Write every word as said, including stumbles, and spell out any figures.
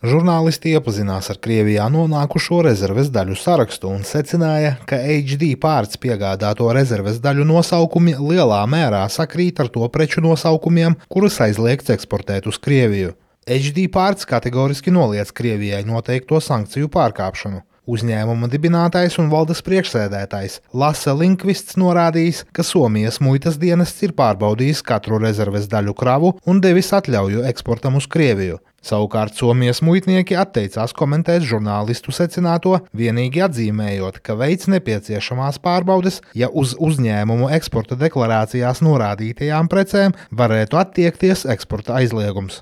Žurnālisti iepazinās ar Krievijā nonākušo rezerves daļu sarakstu un secināja, ka H D Parts piegādāto rezerves daļu nosaukumi lielā mērā sakrīt ar to preču nosaukumiem, kurus aizliegts eksportēt uz Krieviju. H D Parts kategoriski noliedz Krievijai noteikto sankciju pārkāpšanu. Uzņēmuma dibinātājs un valdes priekšsēdētājs Lasse Lindqvists norādījis, ka Somijas muitas dienests ir pārbaudījis katru rezerves daļu kravu un devis atļauju eksportam uz Krieviju. Savukārt Somijas muitnieki atteicās komentēt žurnālistu secināto, vienīgi atzīmējot, ka veids nepieciešamās pārbaudes, ja uz uzņēmumu eksporta deklarācijās norādītajām precēm varētu attiekties eksporta aizliegums.